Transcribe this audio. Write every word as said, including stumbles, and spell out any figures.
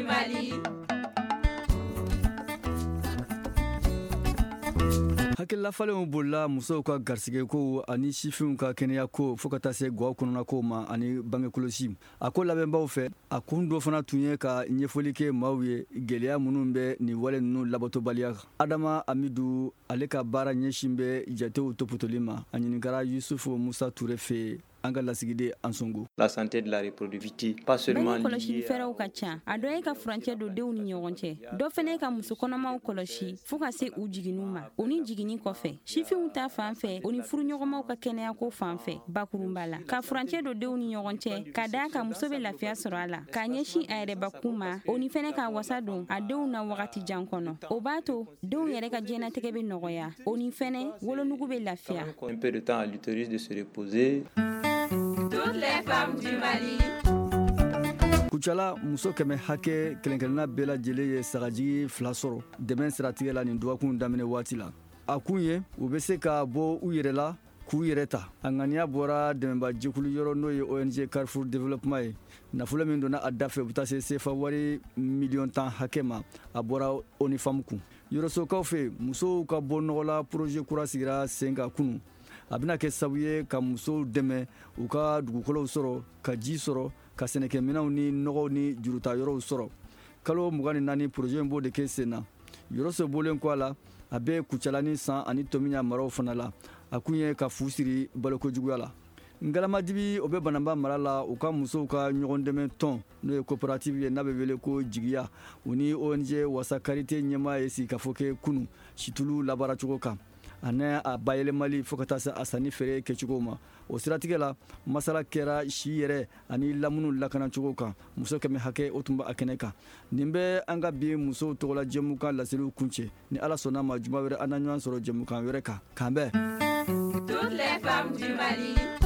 du Mali. Hakililafalenw bolila musow ka garisigɛkow ani sifinw ka kɛnɛyako, fo ka taa se gaw kɔnɔnakow ma ani bangekɔlɔsi. A ko labɛnbaw fɛ, a kun dɔ fana tun ye ka ɲɛfɔli kɛ maaw ye gɛlɛya minnu bɛ nin wale ninnu labatobaliya. Adama Amidu, ale ka baara ɲɛsin bɛ jatew topotoli ma. A ɲininkara Yusufu Musa Ture fɛ, an ka lasigiden Ansongo. La santé de la reproductivité, pas seulement Bange kɔlɔsili fɛɛrɛw ka ca. A dɔ ye ka furancɛ don denw ni ɲɔgɔn cɛ, dɔ fɛnɛ ye ka muso kɔnɔmaw kɔlɔsi fɔɔ ka se u jiginniw ma, o ni jiginni kɔfɛ, sifinw ta fan fɛ, o ni furuɲɔgɔnmaw ka kɛnɛyako fan fɛ. Bakurunba la, ka furancɛ don denw ni ɲɔgɔn cɛ, ka daa ka muso bɛ lafiya sɔrɔ a la k'a ɲɛsin a yɛrɛbakun ma, o ni fɛnɛ k'a wasa don a denw na wagati jan kɔnɔ. O b'a to denw yɛrɛ ka diɲɛnatigɛ bɛ nɔgɔya, o ni fɛnɛ wolonugu bɛ lafiya. Un peu de temps à l'utérus de se reposer. Toutes les femmes du Mali. Kucala, muso kɛmɛ hakɛ kelen-kelenna bɛɛ lajɛlen ye sagajigi fila sɔrɔ dɛmɛ siratigɛ la nin dɔgɔkun daminɛ waati la. A kun ye u bɛ se ka bɔ u yɛrɛ la k'u yɛrɛ ta. A ŋaniya bɔra dɛmɛba jɛkulu yɔrɔ, n'o ye O N G Carrefour Développement ye. Nafolo min donna a dafɛ, u bɛ taa se sefa wari miliyɔn tan hakɛ ma. A bɔra O N U Femmes kun. Yɔrɔsokaw fɛ, musow ka bɔ nɔgɔ la, projet kura sigira sen kan kunun. A bɛna kɛ sababu ye ka musow dɛmɛ u ka dugukolow sɔrɔ, ka ji sɔrɔ, ka sɛnɛkɛminɛnw ni nɔgɔw ni juruta yɔrɔw sɔrɔ. Kalo mugan ni naani, projet in b'o de kɛ sen na. Yɔrɔso bɔlen kɔ a la, a bɛ Kucala ni San ani Tomiɲa maraw fana la. A kun ye ka fu siri balokojuguya la. Ngalamadibi, o bɛ Bananba mara la, u ka musow ka ɲɔgɔn dɛmɛ tɔn, n'o ye coopérative ye, n'a bɛ wele ko Jigiya, u ni O N G Wasa Karite ɲɛmaa ye sigikafɔ kɛ kunu situlu labaaracogo kan ani a bayɛlɛmali, fo ka taa se a sanni feere kɛcogo ma. O siratigɛ la, masala kɛra si yɛrɛ ani lamunu lakanacogo kan. Muso kɛmɛ hakɛ, o tun bɛ a kɛnɛ kan. Nin bɛ an ka bi musow tɔgɔla jɛmukan laseliw kuncɛ. Ni Ala sɔnna ma, juma wɛrɛ, an na ɲɔgɔn sɔrɔ jɛmukan wɛrɛ kan. K'an bɛn. Toutes les femmes du Mali.